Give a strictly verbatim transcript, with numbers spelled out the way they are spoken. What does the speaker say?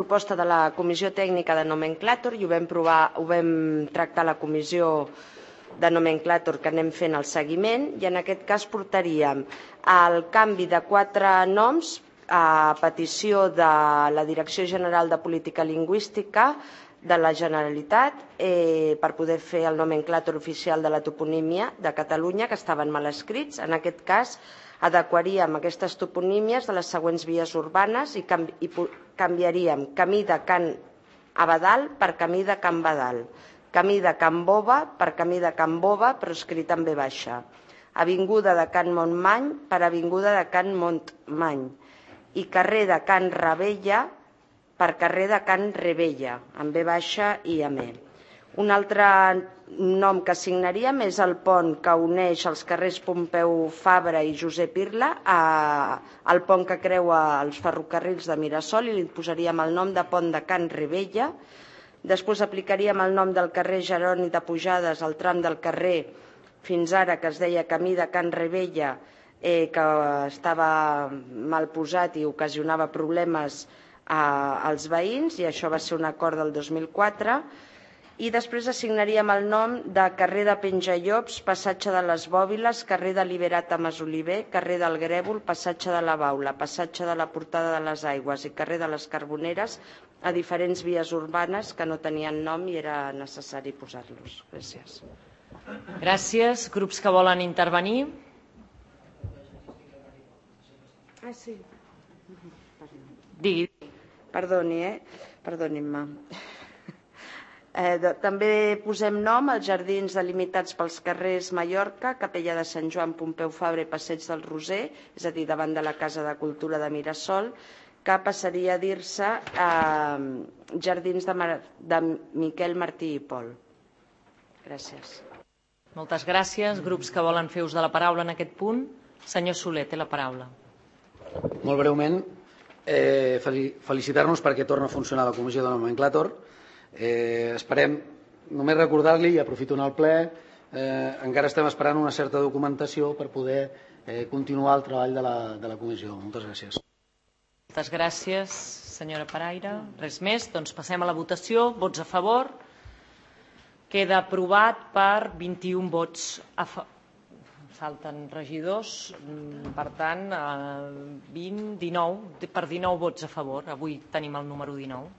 proposta de la Comissió Tècnica de Nomenclàtor i ho vam, provar, ho vam tractar a la Comissió de Nomenclàtor que anem fent el seguiment i en aquest cas portaríem el canvi de quatre noms a petició de la Direcció General de Política Lingüística de la Generalitat eh, per poder fer el nomenclàtor oficial de la toponímia de Catalunya que estaven mal escrits. En aquest cas adequaríem aquestes toponímies de les següents vies urbanes i, canvi, i canviaríem Camí de Can Abadal per Camí de Can Badal, Camí de Can Bova per Camí de Can Bova però escrit en B baixa, Avinguda de Can Montmany per Avinguda de Can Montmany i carrer de Can Rebella per carrer de Can Rebella, amb B baixa i amb E. Un altre nom que assignaríem és el pont que uneix els carrers Pompeu Fabra i Josep Irla al pont que creua els ferrocarrils de Mirasol i li posaríem el nom de Pont de Can Rebella. Després aplicaríem el nom del carrer Jeroni de Pujades al tram del carrer fins ara que es deia Camí de Can Rebella, eh, que estava mal posat i ocasionava problemes als veïns i això va ser un acord del dos mil quatre i després assignaríem el nom de carrer de Penjallops, passatge de les Bòbiles, carrer de Liberata Masoliver, carrer del Grèvol, passatge de la Baula, passatge de la Portada de les Aigües i carrer de les Carboneres a diferents vies urbanes que no tenien nom i era necessari posar-los. Gràcies. Gràcies. Grups que volen intervenir? Ah, sí. Digui. Perdoni, eh? Perdonin-me. Eh, també posem nom als jardins delimitats pels carrers Mallorca, Capella de Sant Joan, Pompeu Fabra i Passeig del Roser, és a dir, davant de la Casa de Cultura de Mirasol, que passaria a dir-se eh, Jardins de, Mar de Miquel Martí i Pol. Gràcies. Moltes gràcies. Grups que volen fer ús de la paraula en aquest punt. Senyor Soler, té la paraula. Molt breument, eh, felicitar-nos perquè torna a funcionar la Comissió de Nomenclàtor. Eh, esperem, només recordar-li, i aprofito en el ple, eh, encara estem esperant una certa documentació per poder eh, continuar el treball de la, de la Comissió. Moltes gràcies. Moltes gràcies, senyora Paraire. Res més? Doncs passem a la votació. Vots a favor. Queda aprovat per vint-i-un vots a favor. Falten regidors, per tant, vint, dinou, per dinou vots a favor. Avui tenim el número dinou.